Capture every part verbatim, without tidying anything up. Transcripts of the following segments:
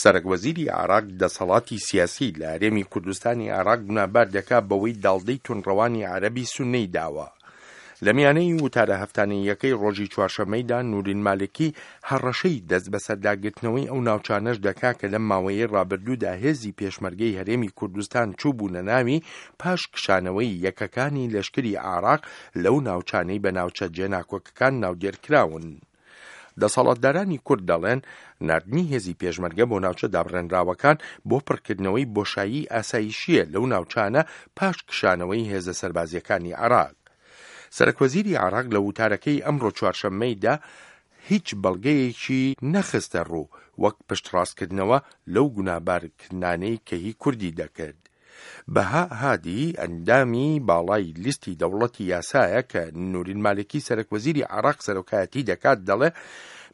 سەرەک وەزیری عێراق دەسەڵاتی سیاسی لە هەرێمی کوردستانی عێراق گوناهبار دەکا بەوەی داڵدەی توندڕەوانی عەرەبی سوننەی داوە. لە میانەی وتارە هەفتانەییەکەی ڕۆژی چوارشەممەیدا نورین مالکی هەڕەشەی دەست بەسەرداگرتنەوەی ئەو ناوچانەش دەکا کە لەم ماوەیەی ڕابردوودا هێزی پێشمەرگەی هەرێمی کوردستان چووبوونە ناوی پاش کشانەوەی یەکەکانی لەشکری عێراق لەو ناوچانەی بە ناوچە جێناکۆکەکان ناودێرکراون. دەسەڵاتدارانی کورد دەڵێن ناردنی هێزی پێشمەرگە بۆ ناوچە دابڕێنراوەکان بۆ پڕکردنەوەی بۆشایی ئاسایشیە لەو ناوچانە پاش کشانەوەی هێزە سەربازیەکانی عێراق. سەرەک وەزیری عێراق لە وتارەکەی ئەمڕۆ چوارشەممەیدا هیچ بەڵگەیەکی نەخستە ڕوو وەک پشتڕاستکردنەوە لەو گوناهبارکردنانەی کە هی کوردی دەکرد. بەها هادی ئەندامی باڵای لیستی دەوڵەتی یاسایە کە نورین مالکی سەرەک وەزیری عێراق سەرۆکایەتی دەکات دەڵێ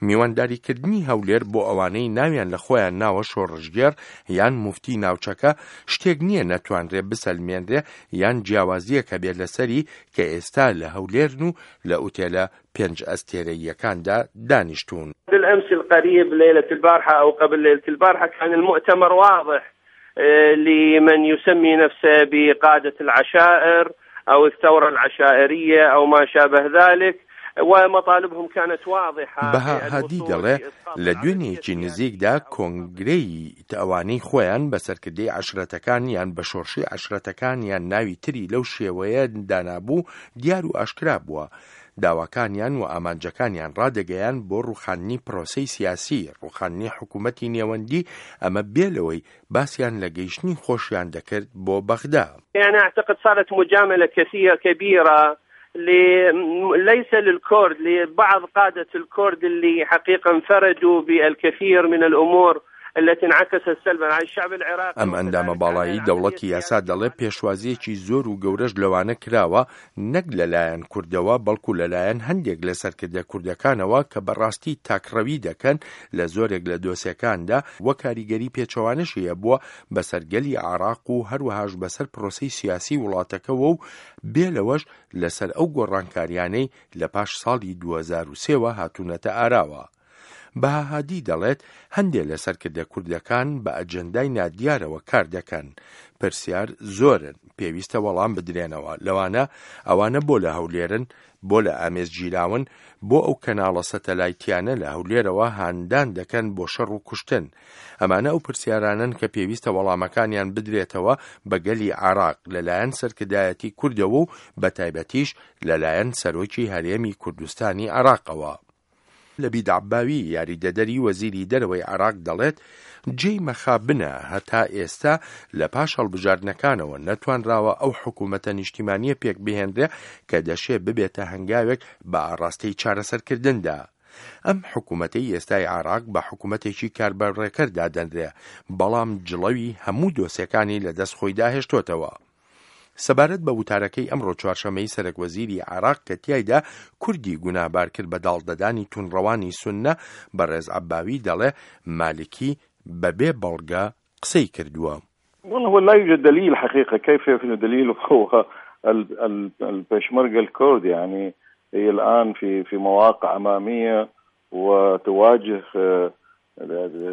میوانداریکردنی هەولێر بۆ ئەوانەی ناویان لە خۆیان ناوە شۆڕشگێڕ یان موفتی ناوچەکە شتێک نییە نەتوانرێ بسەلمێنرێ یان جیاوازییەک هەبێت لەسەری کە ئێستا لە هەولێرن و لە ئوتێلە پێنج ئەستێرەییەکاندا دانیشتوون. بالأمس القريب ليلة البارحة أو قبل ليلة البارحة كان المؤتمر واضح لمن يسمي نفسه بقادة العشائر أو الثورة العشائرية أو ما شابه ذلك ومطالبهم كانت واضحة. بەها هادی دەڵێ لە دوێنێکی نزیکدا کۆنگرەی ئەوانەی خۆیان بە سەرکردەی عەشرەتەکان یان بە شۆڕشی عەشرەتەکان یان ناوی تری لەو شێوەیە دانابوو دیار و ئاشکرا بووە. داواکانیان و ئامانجەکانیان ڕادەگەیان بۆ ڕوخاندنی پرۆسەی سیاسی، ڕوخاندنی حکوومەتی نێوەندی، ئەمە بێ لەوەی باسیان لە گەیشتنی خۆشیان دەکرد بۆ بەغدا. يعني أعتقد صارت مجاملة كثيرة كبيرة ليس للكورد لبعض قادة الكورد اللي حقيقة انفردوا بالكثير من الأمور التي انعكست سلبا على الشعب العراقي. ئەم ئەندامە باڵایی دەوڵەتی یاسا دەڵێ پێشوازیەکی زۆر و گەورەش لەوانە کراوە نەک لەلایەن کوردەوە بەڵکو لەلایەن هەندێک لە سەرکردە کوردەکانەوە کە بەڕاستی تاکڕەوی دەکەن لە زۆرێک لە دۆسیەکاندا و کاریگەری پێچەوانەشی هەبووە بەسەر گەلی عێراق و هەروەهاش بەسەر پرۆسەی سیاسی وڵاتەکەوە و بێ لەوەش لەسەر ئەو گۆڕانکاریانەی لە پاش ساڵی دوو هەزار و سێ وە هاتوونەتە ئاراوە. بەها هادی دەڵێت هەندێک لە سەرکردە کوردەکان بە ئەجەندای نادیارەوە کار دەکەن. پرسیار زۆرن، پێویستە وەڵام بدرێنەوە، لەوانە ئەوانە بۆ لە هەولێرن، بۆ لە ئامێز گیراون، بۆ ئەو کەناڵە سەتەلایتیانە لە هەولێرەوە هاندان دەکەن بۆ شەڕ و کوشتن. ئەمانە ئەو پرسیارانن کە پێویستە وەڵامەکانیان بدرێتەوە بە گەلی عێراق لەلایەن سەرکردایەتی کوردەوە و بە تایبەتیش لەلایەن سەرۆکی هەرێمی کوردستانی عێراقەوە. لەبید عەباوی یاریدەدەری وەزیری دەرەوەی عێراق دەڵێت جێی مەخابنە هەتا ئێستا لە پاش هەڵبژاردنەکانەوە نەتوانراوە ئەو حکوومەتە نیشتیمانیە پێک بهێنرێ کە دەشێ ببێتە هەنگاوێک بە ئاڕاستەی چارەسەرکردندا. ئەم حکوومەتەی ئێستای عێراق بە حکوومەتێکی کاربەڕێکەر دادەنرێ، بەڵام جڵەوی هەموو دۆسیەکانی لەدەست خۆیدا هێشتۆتەوە. سەبارەت بە وتارەکەی ئەمڕۆ چوارشەممەی سەرەک وەزیری عێراق کە تیایدا کوردی گوناهبار کرد بە داڵدەدانی توندڕەوانی سوننە، بەڕێز عەباوی دەڵێ مالکی بەبێ بەڵگە قسەی کردووە. والله هو لا يوجد دليل حقيقة، كيف يكون دليل هو البيشمركة الكرد يعني هي الآن في في مواقع أمامية وتواجه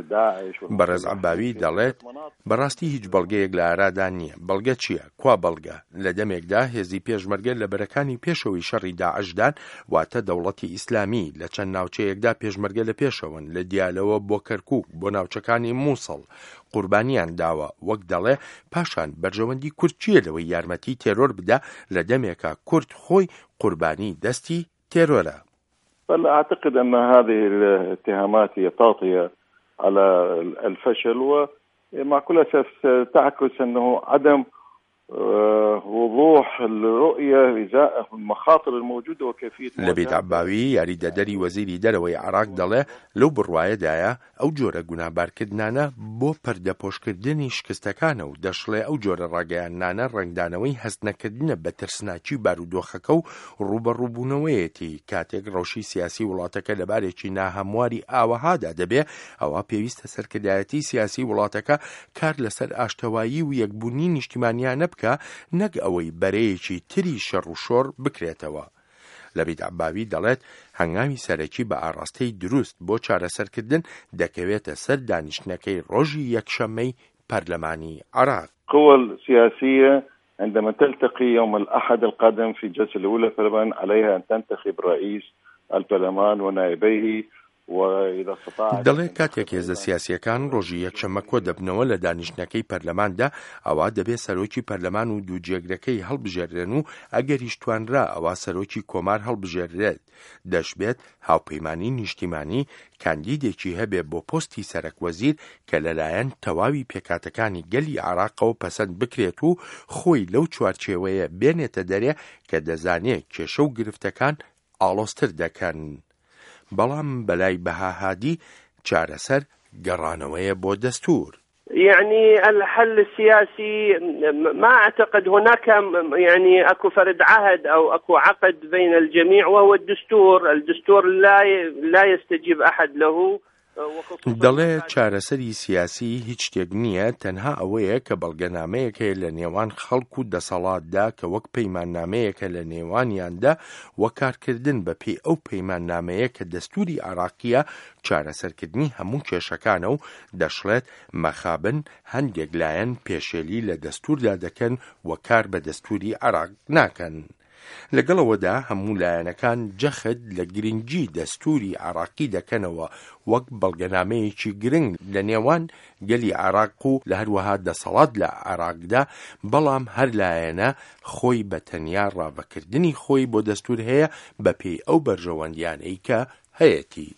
داعش. بەڕێز عەباوی دەڵێت بەڕاستی هیچ بەڵگەیەک لە ئارادا نییە. بەڵگە چییە؟ کوا بەڵگە؟ لە دەمێکدا هێزی پێشمەرگە لە بەرەکانی پێشەوەی شەڕی داعشدان، واتە دەوڵەتی ئیسلامی. لە چەند ناوچەیەکدا پێشمەرگە لە پێشەوەن، لە دیالەوە بۆ کەرکوک بۆ ناوچەکانی مووسڵ قوربانیان داوە. وەک دەڵێ پاشان بەرژەوەندی کورد چییە لەوەی یارمەتی تێرۆر بدا لە دەمێکا کورد خۆی قوربانی دەستی تێرۆرە؟ فأعتقد أن هذه الاتهامات هي تغطية على الفشل، ومع كل أسف تعكس أنه عدم وضوح الرؤية إزاء المخاطر الموجودة وكيفية. لەبید عەباوی یاریدەدەری وەزیری دەرەوەی عێراق دەڵێ لەو بڕوایەدایە ئەو جۆرە گوناهبارکردنانە بۆ پەردەپۆشکردنی شکستەکانە و دەشڵێ ئەو جۆرە ڕاگەیاندنانە ڕەنگدانەوەی هەستنەکردنە بە ترسناکی بارودۆخەکە و ڕووبەڕووبوونەوەیەتی. کاتێک ڕەوشی سیاسی وڵاتەکە لەبارێکی ناهەمواری ئاوەهادا دەبێ، ئەوە پێویستە سەرکردایەتی سیاسی وڵاتەکە کار لەسەر ئاشتەوایی و یەکبوونی نیشتیمانیانە بکە، نەک ئەوەی بەرەیەکی تری شەڕ و شۆڕ بکرێتەوە. لەبید عەباوی دەڵێت هەنگاوی سەرەکی بە ئاڕاستەی دروست بۆ چارەسەرکردن دەکەوێتە سەر دانیشتنەکەی ڕۆژی یەکشەممەی پەرلەمانی عێراق. القوى السياسية عندما تلتقي يوم الأحد القادم في الجلسة الأولى في البرلمان عليها أن تنتخب رئيس البرلمان ونائبيه. دەڵێ کاتێک هێزە سیاسییەکان ڕۆژی یەکشەممە کۆ دەبنەوە لە دانیشتنەکەی پەرلەماندا، ئەوا دەبێ سەرۆکی پەرلەمان و دوو جێگرەکەی هەڵبژێررێن و ئەگەریش توانرا ئەوا سەرۆکی کۆمار هەڵبژێررێت. دەشبێت هاوپەیمانی نیشتیمانی کاندیدێکی هەبێ بۆ پۆستی سەرەک وەزیر کە لەلایەن تەواوی پێکهاتەکانی گەلی عێراقەوە پەسەند بکرێت و خۆی لەو چوارچێوەیە بێنێتە دەرێ کە دەزانێ کێشە و گرفتەکان ئاڵۆزتر دەکەن. بەڵام بەلای بەها هادی چارەسەر گەڕانەوەیە بۆ دەستوور. يعني الحل السياسي ما أعتقد هناك، يعني أكو فرد عهد أو أكو عقد بين الجميع وهو الدستور، الدستور لا لا يستجيب أحد له. دەڵێ چارەسەری سیاسی هیچ شتێک نییە، تەنها ئەوەیە کە بەڵگەنامەیەک هەیە لە نێوان خەڵک و دەسەڵاتدا کە وەک پەیماننامەیەکە لە نێوانیاندا و کارکردن بە پێی ئەو پەیماننامەیە کە دەستوری عێراقییە چارەسەرکردنی هەموو کێشەکانە و دەشڵێت مەخابن هەندێک لایەن پێشێلی لە دەستوردا دەکەن و کار بە دەستوری عێراق ناکەن. لەگەڵ ئەوەدا هەموو لایەنەکان جەخت لە گرنگی دەستوری عێراقی دەکەنەوە وەک بەڵگەنامەیەکی گرنگ لە نێوان گەلی عێراق و لە هەروەها دەسەڵات لە عێراقدا، بەڵام هەر لایەنە خۆی بە تەنیا ڕاڤەکردنی خۆی بۆ دەستور هەیە بەپێی ئەو بەرژەوەندیانەی کە هەیەتی.